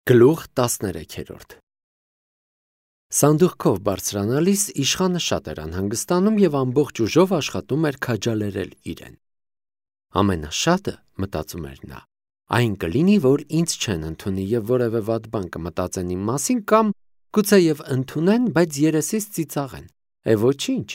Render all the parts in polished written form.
Գլուխ 13 Սանդուղքով բարձրանալիս իշխանը շատ էր անհանգստանում և ամբողջ ուժով աշխատում էր քաջալերել իրեն։ Ամենաշատը, մտածում էր նա, այն կլինի, որ ինձ չեն ընդունի և որևէ վատ բան կմտածեն իմ մասին կամ գուցեև ընդունեն, բայց երեսից ծիծաղեն, ոչինչ։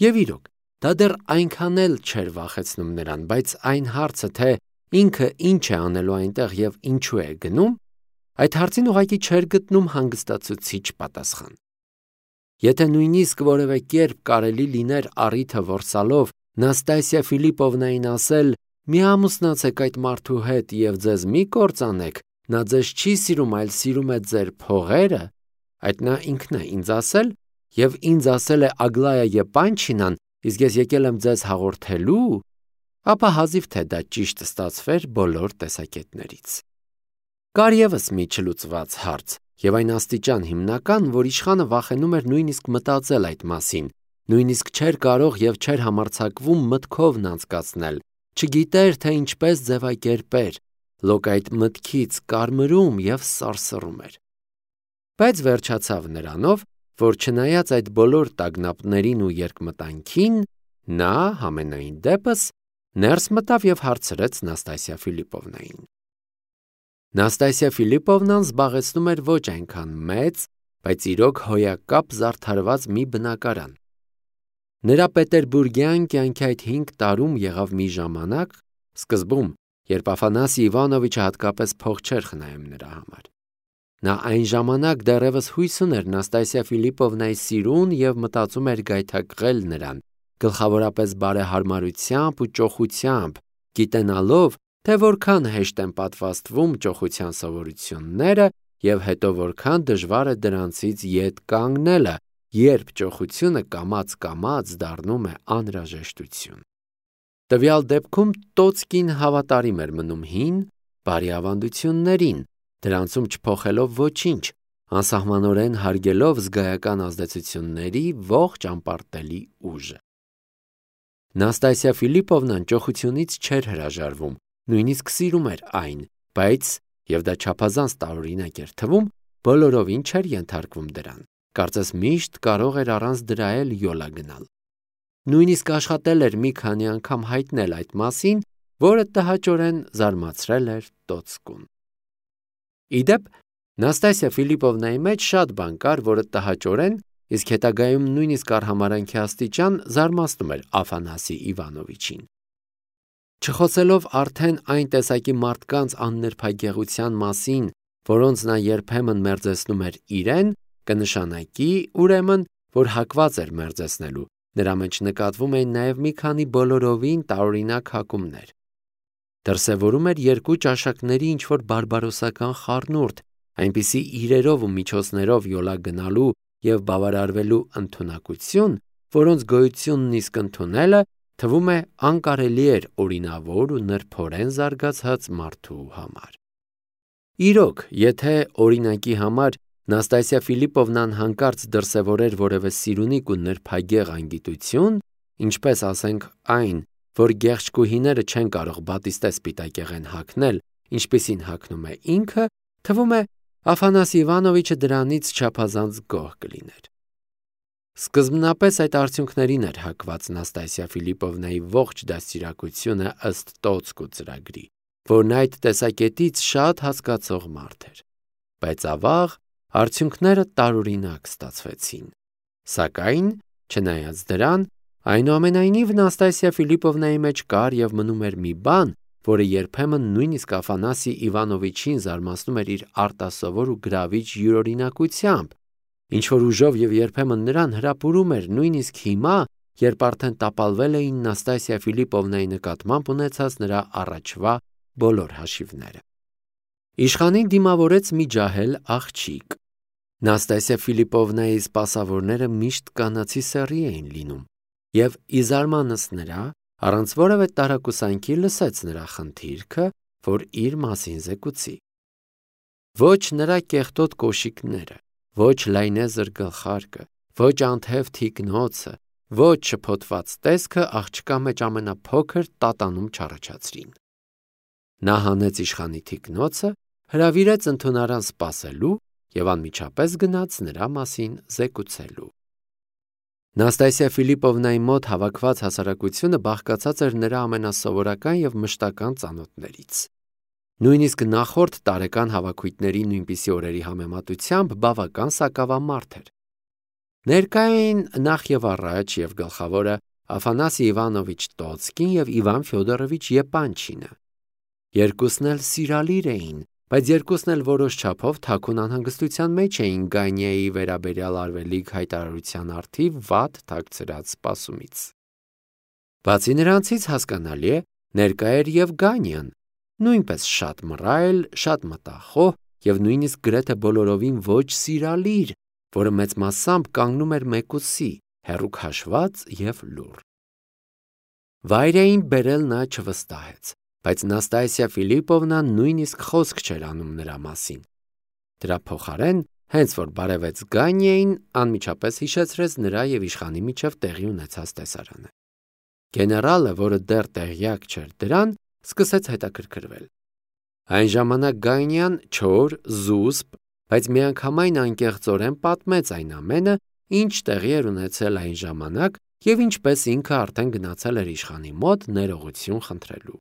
Եվ իրոք, դա դեռ այնքան էլ չէր վախեցնում նրան, բայց այն հարցը, թե ինքը ինչ է անելու այնտեղ և ինչու է գնում, այդ հարցին ուղղակի չէր գտնում հանգստացուցիչ պատասխան։ Եթե նույնիսկ որևէ կերպ կարելի լիներ առիթը որսալով Նաստասիա Ֆիլիպովնային ասել. «Մի ամուսնացեք այդ մարդու հետ և ձեզ մի կործանեք, նա ձեզ չի սիրում, այլ սիրում է ձեր փողերը», այդ նա ինքն է ինձ ասել և ինձ ասել է Ագլայա Եպանչինան, իսկ ես եկել եմ ձեզ հաղորդելու, ապա հազիվ թե դա ճիշտ ստացվեր բոլոր տեսակետներից։ Կար ևս մի չլուծված հարց, և այն աստիճան հիմնական, որ իշխանը վախենում էր նույնիսկ մտածել այդ մասին, նույնիսկ չէր կարող և չէր համարձակվում մտքովն անցկացնել, չգիտեր, թե ինչպես ձևակերպեր, լոկ այդ մտքից կարմրում և սարսռում էր։ Բայց վերջացավ նրանով, որ չնայած այդ բոլոր տագնապներին ու երկմտանքին, նա, համենայն դեպս, ներս մտավ և հարցրեց Նաստասիա Ֆիլիպովնային։ Նաստասիա Ֆիլիպովնան զբաղեցնում էր ոչ այնքան մեծ, բայց իրոք հոյակապ զարդարված մի բնակարան։ Նրա պետերբուրգյան կյանքի այդ 5 տարում եղավ մի ժամանակ, սկզբում, երբ Աֆանասի Իվանովիչը հատկապես փող չէր խնայում նրա համար։ Նա այն ժամանակ դեռևս հույս ուներ Նաստասիա Ֆիլիպովնայի սիրուն և մտածում էր գայթակղել նրան, գլխավորապես բարեհարմարությամբ ու ճոխությամբ, գիտենալով, թե որքան հեշտ են պատվաստվում ճոխության սովորությունները և հետո որքան դժվար է դրանցից ետ կանգնելը, երբ ճոխությունը կամաց-կամաց դառնում է անհրաժեշտություն։ Տվյալ դեպքում տոց կին հավատարիմ էր մնում հին, բարի ավանդություններին, դրանցում չփոխելով ոչինչ, անսահմանորեն հարգելով զգայական ազդեցությունների ողջ անպարտելի ուժը։ Նաստասիա Ֆիլիպովնան ճոխությունից չէր հրաժարվում, նույնիսկ սիրում էր այն, բայց, և դա չափազանց տարօրինակ էր թվում, բոլորովին չէր ենթարկվում դրան, կարծես միշտ կարող էր առանց դրա էլ յոլա գնալ։ Նույնիսկ աշխատել էր մի քանի անգամ հայտնել այդ մասին, որը տհաճորեն զարմացրել էր տոцկուն։ Ի դեպ, Նաստասիա Ֆիլիպովնայի մեջ շատ բան կար, որը տհաճորեն, իսկ հետագայում նույնիսկ արհամարհանքի աստիճան զարմացնում էր Աֆանասի Իվանովիչին։ Չխոսելով արդեն այն տեսակի մարդկանց աննրբագեղության մասին, որոնց նա երբեմն մերձեցնում էր իրեն, կնշանակի, ուրեմն, որ հակված էր մերձեցնելու, նրա մեջ նկատվում էին նաև մի քանի բոլորովին տարօրինակ հակումներ։ Դրսևորում էր 2 ճաշակների ինչ-որ բարբարոսական խառնուրդ, այնպիսի իրերով ու միջոցներով յոլա գնալու և բավարարվելու ընդունակություն, որոնց գոյությունն իսկ ընդունելը թվում է անկարելի էր օրինավոր ու նրբորեն զարգացած մարդու համար։ Իրոք, եթե օրինակի համար Նաստասիա Ֆիլիպովնան հանկարծ դրսևորեր որևէ սիրունիկ ու նրբագեղ անգիտություն, ինչպես ասենք այն, որ գեղչկուհիները չեն կարող բատիստե սպիտակեղեն հագնել, ինչպիսին հագնում է ինքը, թվում է Աֆանասի Իվանովիչը դրանից չափազանց գոհ կլիներ։ Սկզբնապես այդ արդյունքներին էր հակված Նաստասիա Ֆիլիպովնայի ողջ դաստիարակությունը ըստ տոцկ ու ծրագրի, որն այդ տեսակետից շատ հասկացող մարդ էր։ Բայց ավաղ արդյունքները տարօրինակ ստացվեցին։ Սակայն, չնայած դրան, այնուամենայնիվ Նաստասիա Ֆիլիպովնայի մեջ կար և մնում էր մի բան, որը երբեմն նույնիսկ Աֆանասի Իվանովիչին զարմացնում էր իր արտասովոր ու գրավիչ յուրօրինակությամբ, ինչ-որ ուժով և երբեմն նրան հրապուրում էր նույնիսկ հիմա, երբ արդեն տապալվել էին Նաստասիա Ֆիլիպովնայի նկատմամբ ունեցած նրա առաջվա բոլոր հաշիվները։ Իշխանին դիմավորեց մի ջահել աղջիկ։ Նաստասիա Ֆիլիպովնայի սպասավորները միշտ կանացի սեռի էին լինում, և ի զարմանս նրա, առանց որևէ տարակուսանքի լսեց նրա խնդիրքը, որ իր մասին զեկուցի։ Ոչ նրա կեղտոտ կոշիկները, ոչ լայնեզր գլխարկը, ոչ անթև թիկնոցը, ոչ շփոթված տեսքը աղջկա մեջ ամենափոքր տատանում չառաջացրին։ Նա հանեց իշխանի թիկնոցը, հրավիրեց ընդունարան սպասելու և անմիջապես գնաց նրա մասին զեկուցելու։ Նաստասիա Ֆիլիպովնայի մոտ հավաքված հասարակությունը բաղկացած էր նրա ամենասովորական և մշտական ծանոթներից։ Նույնիսկ նախորդ տարեկան հավաքույթների նույնպիսի օրերի համեմատությամբ բավական սակավամարդ էր։ Ներկա էին նախ և առաջ և գլխավորը Աֆանասի Իվանովիչ Տոցկին և Իվան Ֆյոդորովիչ Եպանչինը։ Երկուսն էլ սիրալիր էին, բայց երկուսն էլ որոշ չափով թաքուն անհանգստության մեջ էին Գանյայի վերաբերյալ արվելիք հայտարարության առթիվ վատ թաքցրած սպասումից։ Բացի նրանցից հասկանալի է, ներկա էր և Գանյան, նույնպես շատ մռայլ, շատ մտախոհ և նույնիսկ գրեթե բոլորովին ոչ սիրալիր, որը մեծ մասամբ կանգնում էր մեկուսի, հեռու քաշված և լուռ։ Վայրեին բերել նա չվստահեց, բայց Նաստասիա Ֆիլիպովնան նույնիսկ խոսք չէր անում նրա մասին։ Դրա փոխարեն, հենց որ բարևեց Գանյային, անմիջապես հիշեցրեց նրա և իշխանի միջև տեղի ունեցած տեսարանը։ Գեներալը, որը դեռ տեղյակ չէր դրան, սկսեց հետաքրքրվել։ Այն ժամանակ Գանյան չոր, զուսպ, բայց միանգամայն անկեղծորեն պատմեց այն ամենը, ինչ տեղի էր ունեցել այն ժամանակ և ինչպես ինքը արդեն գնացել էր իշխանի մոտ ներողություն խնդրելու։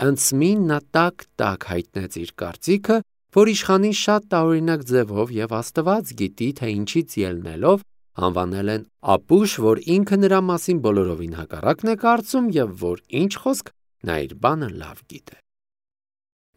Անցմին նա տաք հայտնեց իր կարծիքը, որ իշխանին շատ տարօրինակ ձևով և Աստված գիտի, թե ինչից ելնելով անվանել են ապուշ, որ ինքը նրա մասին բոլորովին հակառակն է կարծում և որ ինչ խոսք նա իր բանը լավ գիտե։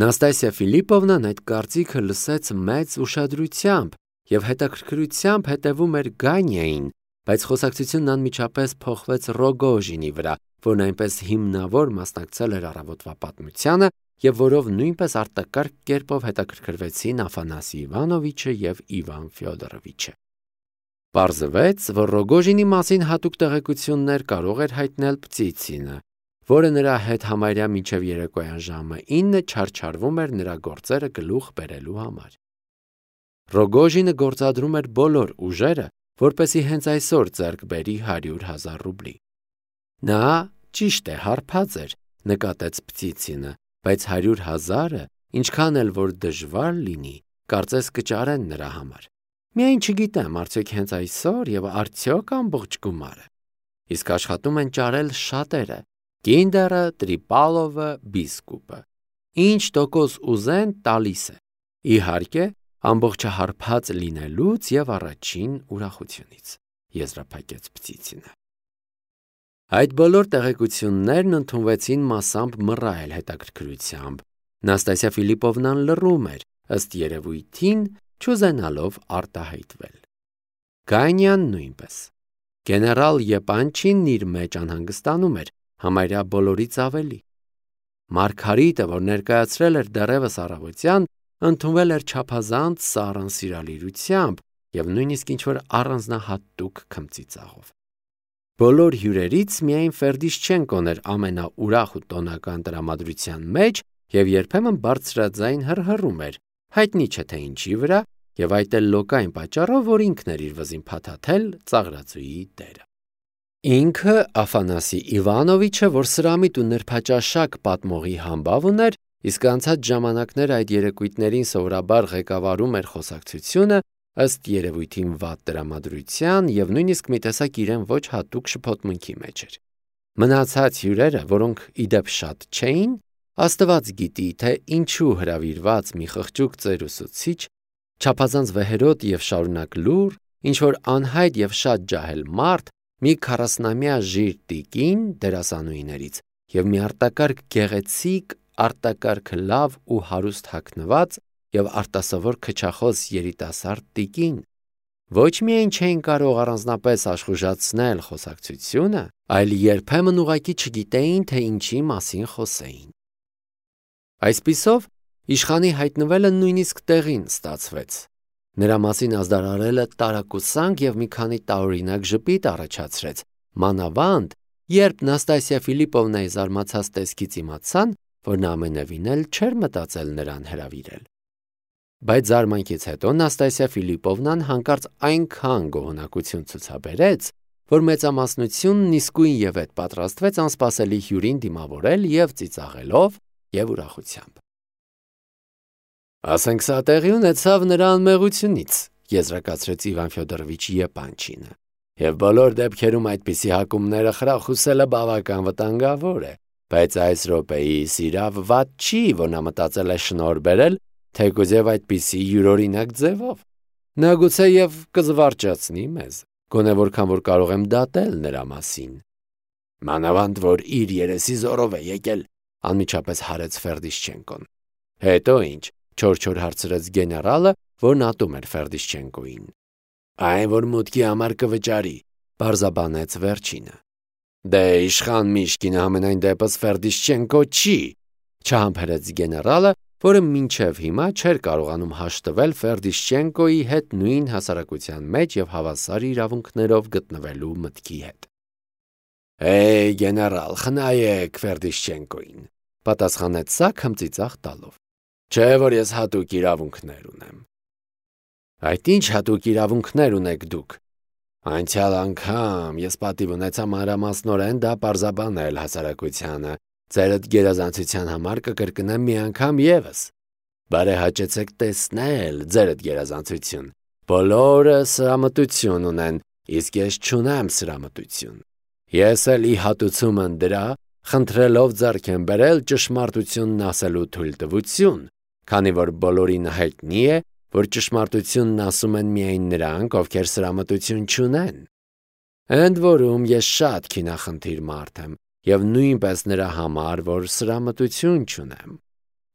Նաստասիա Ֆիլիպովնան այդ կարծիքը լսեց մեծ ուշադրությամբ և հետաքրքրությամբ հետևում էր Գանյային, բայց խոսակցությունն անմիջապես փոխվեց Ռոգոժինի վրա, որն այնպես հիմնավոր մասնակցել էր առավոտվա պատմությանը և որով նույնպես արտակարգ կերպով հետաքրքրվեցին Աֆանասի Իվանովիչը և Իվան Ֆյոդորովիչը։ Պարզվեց, որ Ռոգոժինի մասին հատուկ տեղեկություններ կարող էր հայտնել Պտիցինը, որը նրա հետ համարյա մինչև երեկոյան ժամը 9 չարչարվում էր նրա գործերը գլուխ բերելու համար։ Ռոգոժինը գործադրում էր բոլոր ուժերը, որպեսզի հենց այսօր ձեռք բերի 100,000 ռուբլի։ Նա, ճիշտ է, հարբած էր, նկատեց Պտիցինը, բայց 100,000-ը, ինչքան էլ որ դժվար լինի, կարծես կճարեն նրա համար։ Միայն չգիտեմ, արդյոք հենց այսօր և արդյոք ամբողջ գումարը։ Իսկ աշխատում են ճարել շատերը՝ Կինդերը, Տրիպալովը, Բիսկուպը։ Ինչ տոկոս ուզեն, տալիս է։ Իհարկե, ամբողջը հարբած լինելուց և առաջին ուրախությունից, եզրափակեց Պտիցինը։ Այդ բոլոր տեղեկություններն ընդունվեցին մասամբ մռայլ հետաքրքրությամբ։ Նաստասիա Ֆիլիպովնան լռում էր, ըստ երևույթին, չուզենալով արտահայտվել։ Գանյան նույնպես։ Գեներալ Եպանչինն իր մեջ անհանգստանում էր, համարյա բոլորից ավելի։ Մարգարիտը, որ ներկայացրել էր դեռևս առավոտյան, ընդունվել էր չափազանց սառն սիրալիրությամբ և նույնիսկ ինչ-որ առանձնահատուկ քմծիծաղով։ Բոլոր հյուրերից միայն Ֆերդիշչենկոն էր ամենաուրախ ու տոնական տրամադրության մեջ և երբեմն բարձրաձայն հռհռում էր, հայտնի չէ թե ինչի վրա, և այդ էլ լոկային պատճառով, որ ինքն էր իր վզին փաթաթել ծաղրածուի դերը։ Ինքը Աֆանասի Իվանովիչը, որ սրամիտ ու նրբաճաշակ պատմողի համբավ ուներ, իսկ անցած ժամանակներ այդ երեկույթներին սովորաբար ղեկավարում էր խոսակցությունը, ըստ երևույթին վատ տրամադրության և նույնիսկ մի տեսակ իրեն ոչ հատուկ շփոթմունքի մեջ էր։ Մնացած հյուրերը, որոնք ի դեպ շատ չէին, Աստված գիտի, թե ինչու հրավիրված մի խղճուկ ծեր ուսուցիչ, չափազանց վեհերոտ և շարունակ լուռ, ինչ-որ անհայտ և շատ ջահել մարդ, մի 40-ամյա ժիր տիկին դերասանուհիներից և մի արտակարգ գեղեցիկ, արտակարգ լավ ու հարուստ հագնված և արտասովոր քչախոս երիտասարդ տիկին, ոչ միայն չէին կարող առանձնապես աշխուժացնել խոսակցությունը, այլ երբեմն ուղղակի չգիտեին, թե ինչի մասին խոսեին։ Այսպիսով, իշխանի հայտնվելը նույնիսկ տեղին ստացվեց։ Նրա մասին ազդարարելը տարակուսանք և մի քանի տարօրինակ ժպիտ առաջացրեց, մանավանդ, երբ Նաստասիա Ֆիլիպովնայի զարմացած տեսքից իմացան, որ նա ամենևին էլ չէր մտածել նրան հրավիրել։ Բայց զարմանքից հետո Նաստասիա Ֆիլիպովնան հանկարծ այնքան գոհունակություն ցուցաբերեց, որ մեծամասնությունն իսկույնևեթ պատրաստվեց անսպասելի հյուրին դիմավորել և ծիծաղելով և ուրախությամբ։ Ասենք սա տեղի ունեցավ նրա անմեղությունից, եզրակացրեց Իվան Ֆյոդորովիչ Եփանչինը։ Եվ բոլոր դեպքերում այդպիսի հակումները խրախուսելը բավական վտանգավոր է, բայց այս րոպեիս իրավ վատ չի, որ նա մտածել է շնորհ բերել, թեկուզև այդպիսի յուրօրինակ ձևով։ Նա գուցեև կզվարճացնի մեզ, գոնե որքան որ կարող եմ դատել նրա մասին։ Մանավանդ որ իր երեսի զորով է եկել, անմիջապես հարեց Ֆերդիշչենկոն։ Հետո ինչ, չոր հարցրեց գեներալը, որն ատում էր Ֆերդիշչենկոին։ Այն որ մուտքի համար կվճարի, պարզաբանեց վերջինը։ Դե իշխան Միշկինը համենայն դեպս Ֆերդիշչենկո չի, չհամբերեց գեներալը, որը մինչև հիմա չէր կարողանում հաշտվել Ֆերդիշչենկոյի հետ նույն հասարակության մեջ եւ հավասար իրավունքներով գտնվելու մտքի հետ։ Գեներալ, խնայեք Ֆերդիշչենկոին, պատասխանեց սա քմծիծաղ տալով։ Չէ որ ես հատուկ իրավունքներ ունեմ։ Այդ ինչ հատուկ իրավունքներ ունեք դուք։ Անցյալ անգամ ես պատիվ ունեցա մանրամասնորեն դա պարզաբանել հասարակությանը, ձերդ գերազանցության համար կկրկնեմ մի անգամ եւս։ Բարեհաճեցեք տեսնել ձերդ գերազանցություն։ Բոլորը սրամտություն ունեն, իսկ ես չունեմ սրամտություն։ Ես էլ ի հատուցումն դրա, խնդրելով ձեռք եմ բերել ճշմարտությունն ասելու թույլտվություն, քանի որ բոլորին հայտնի է, որ ճշմարտությունն ասում են միայն նրանք, ովքեր սրամտություն չունեն։ Ընդ որում ես շատ քինախնդիր մարդ եմ, եւ նույնպես նրա համար, որ սրամտություն չունեմ։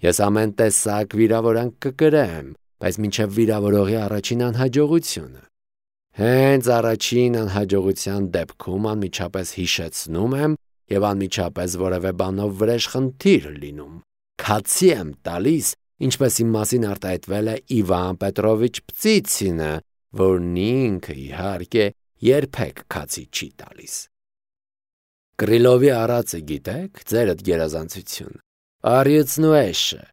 Ես ամեն տեսակ վիրավորանք կկրեմ, բայց մինչև վիրավորողի առաջին անհաջողությունը։ Հենց առաջին անհաջողության դեպքում անմիջապես հիշեցնում եմ եւ անմիջապես որևէ բանով վրեժ խնդիր լինում։ Քացի եմ տալիս, ինչպես իմ մասին արտահայտվել է Իվան Պետրովիչ Պծիցինը, որն ինքը իհարկե երբեք քացի չի տալիս։ Կրիլովի արածը գիտեք, ձերդ գերազանցություն։ Արյուծն ու էշը։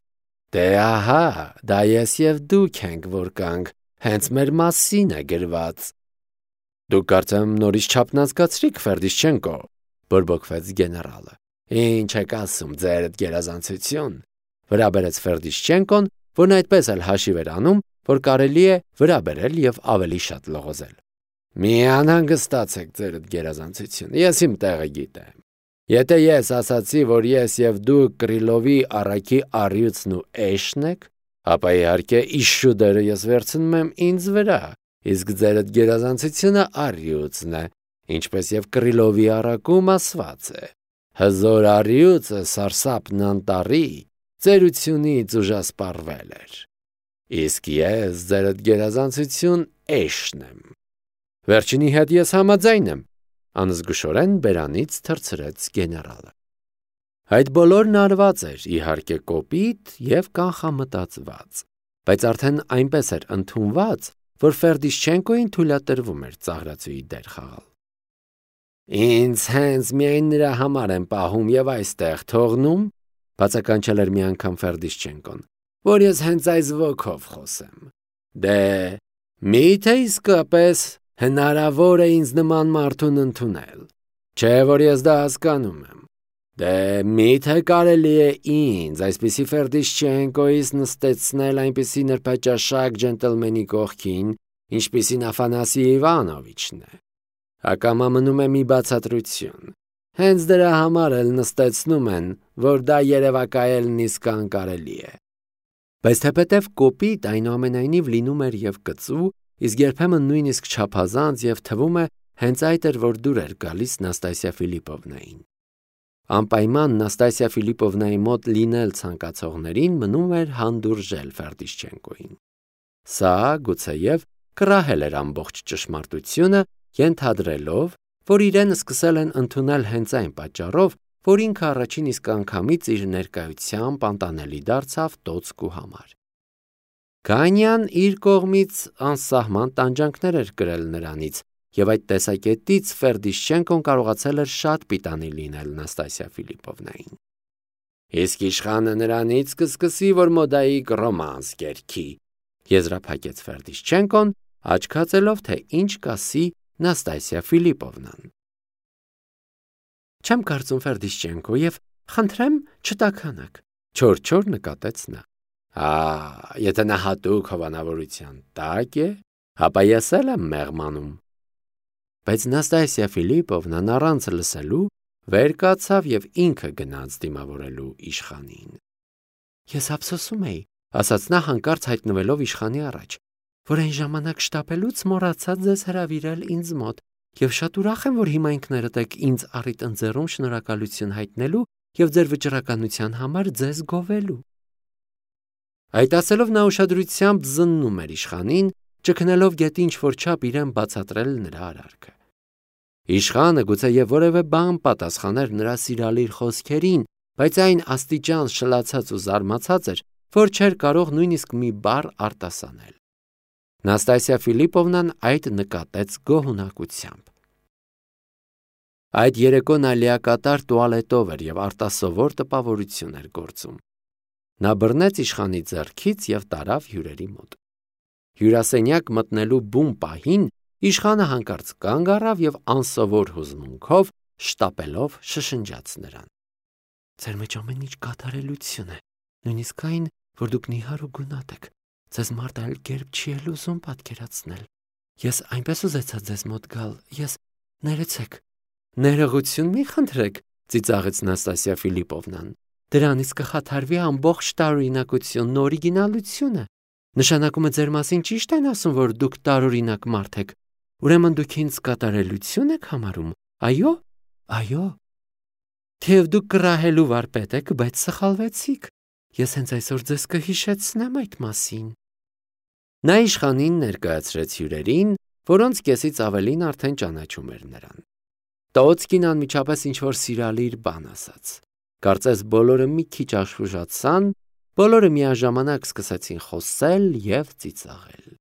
Դե ահա, դա ես եւ դուք ենք որ կանք, հենց մեր մասին է գրված։ Դուք կարծեմ նորից չափնազգացրիք Ֆերդիշչենկո, բորբոքվեց գեներալը։ Ինչ եք ասում, ձերդ գերազանցություն։ Վրա բերեց Ֆերդիշչենկոն, որն այդպես էլ հաշիվ էր անում, որ կարելի է վրա բերել եւ ավելի շատ լողոզել։ Մի անհանգստացեք ձերդ գերազանցություն, ես իմ տեղը գիտեմ։ Եթե ես ասացի, որ ես եւ դու Կրիլովի առաքի արյուծն ու էշն եք, ապա իհարկե իշուդերը ես վերցնում եմ ինձ վրա, իսկ ձերդ գերազանցությունը արյուծն է, ինչպես եւ Կրիլովի առակում ասված է։ Հզոր արյուծը սարսափն անտառի ծերությունից ուժասպառվել էր։ Իսկ ես ձերդ գերազանցություն էշն եմ։ Վերջինի հետ ես համաձայն եմ, անզգուշորեն բերանից թռցրեց գեներալը։ Այդ բոլորն արված էր, իհարկե կոպիտ եւ կանխամտածված, բայց արդեն այնպես էր ընդունված, որ Ֆերդիշչենկոին թույլատրվում էր ծաղրացուի դեր խաղալ։ Ինձ հենց միայն նրա համար եմ պահում եւ այստեղ թողնում, բացականչել էր մի անգամ Ֆերդիշչենկոն, որ ես հենց այս ոգով խոսեմ։ Դե, միթե իսկապես հնարավոր է ինձ նման մարդուն ընդունել, չէ որ ես դա հասկանում եմ։ Դե, միթե կարելի է ինձ այսպիսի Ֆերդիշչենկոից նստեցնել այնպիսի նրբաճաշակ ջենտլմենի կողքին, ինչպիսին Աֆանասի Իվանովիչն է։ Ակամա մնում է մի բացատրություն։ Հենց դրա համար էլ նստեցնում են, որ դա երևակայելն իսկ անկարելի է։ Բայց թեպետև կոպիտ այնուամենայնիվ լինում էր եւ կծու, իսկ երբեմն նույնիսկ չափազանց եւ թվում է հենց այդ էր, որ դուր էր գալիս Նաստասիա Ֆիլիպովնային։ Անպայման Նաստասիա Ֆիլիպովնայի մոտ լինել ցանկացողներին մնում էր հանդուրժել Ֆերդիշչենկոին։ Սա գուցեև կռահել էր ամբողջ ճշմարտությունը, ենթադրելով, որ իրեն սկսել են ընդունել հենց այն պատճառով, որ ինքը առաջին իսկ անգամից իր ներկայությամբ անտանելի դարձավ տոցկու համար։ Գանյան իր կողմից անսահման տանջանքներ էր կրել նրանից, եւ այդ տեսակետից Ֆերդիշչենկոն կարողացել էր շատ պիտանի լինել Նաստասիա Ֆիլիպովնային։ Իսկ իշխանը նրանից կսկսի, որ մոդայիկ ռոմանս կերքի, եզրափակեց Ֆերդիշչենկոն, աչքացելով, թե ինչ կասի Նաստասիա Ֆիլիպովնան։ Չեմ կարծում Ֆերդիշչենկո եւ խնդրեմ չտաքանաք, չոր նկատեց նա։ Եթե նա հատուկ հովանավորության տակ է, ապա ես էլ եմ մեղմանում։ Բայց Նաստասիա Ֆիլիպովնան առանց լսելու վեր կացավ եւ ինքը գնաց դիմավորելու իշխանին։ Ես ափսոսում էի, ասաց նա հանկարծ հայտնվելով իշխանի առաջ, որ այն ժամանակ շտապելուց մոռացա ձեզ հրավիրել ինձ մոտ եւ շատ ուրախ եմ, որ հիմա ինքներդ եք ինձ առիթ ընձեռում շնորհակալություն հայտնելու եւ ձեր վճռականության համար ձեզ գովելու։ Այդ ասելով նա ուշադրությամբ զննում էր իշխանին, ճգնելով գետի ինչ-որ չափ իրեն բացատրել նրա արարքը։ Իշխանը գուցե եւ որևէ բան պատասխաներ նրա սիրալիր խոսքերին, բայց այն աստիճան շլացած ու զարմացած էր, որ չէր կարող նույնիսկ մի բառ արտասանել։ Նաստասիա Ֆիլիպովնան այդ նկատեց գոհունակությամբ։ Այդ երեկո նա լիակատար տուալետով էր եւ արտասովոր տպավորություն էր գործում։ Նա բռնեց իշխանի ձեռքից եւ տարավ հյուրերի մոտ։ Հյուրասենյակ մտնելու բուն պահին իշխանը հանկարծ կանգ առավ եւ անսովոր հուզմունքով շտապելով շշնջաց նրան. Ձեր մեջ ամեն ինչ կատարելություն է, նույնիսկ այն, որ դուք նիհար ու գունատ եք։ Ձեզ մարդ այլ կերպ չի էլ ուզում պատկերացնել։ Ես այնպես ուզեցա ձեզ մոտ գալ, ներեցեք։ Ներողություն մի խնդրեք, ծիծաղեց Նաստասիա Ֆիլիպովնան։ Դրանից կխաթարվի ամբողջ տարօրինակությունն ու օրիգինալությունը։ Նշանակում է ձեր մասին ճիշտ են ասում, որ դուք տարօրինակ մարդ եք։ Ուրեմն դուք ինձ կատարելություն եք համարում։ Այո։ Թեև դուք կռահելու վարպետ եք, բայց սխալվեցիք։ Ես հենց այսօր ձեզ կհիշեցնեմ այդ մասին։ Նա իշխանին ներկայացրեց հյուրերին, որոնց կեսից ավելին արդեն ճանաչում էր նրան։ Տոцկին անմիջապես ինչ-որ սիրալիր բան ասաց։ Կարծես բոլորը մի քիչ աշխուժացան, բոլորը միաժամանակ սկսեցին խոսել եւ ծիծաղել։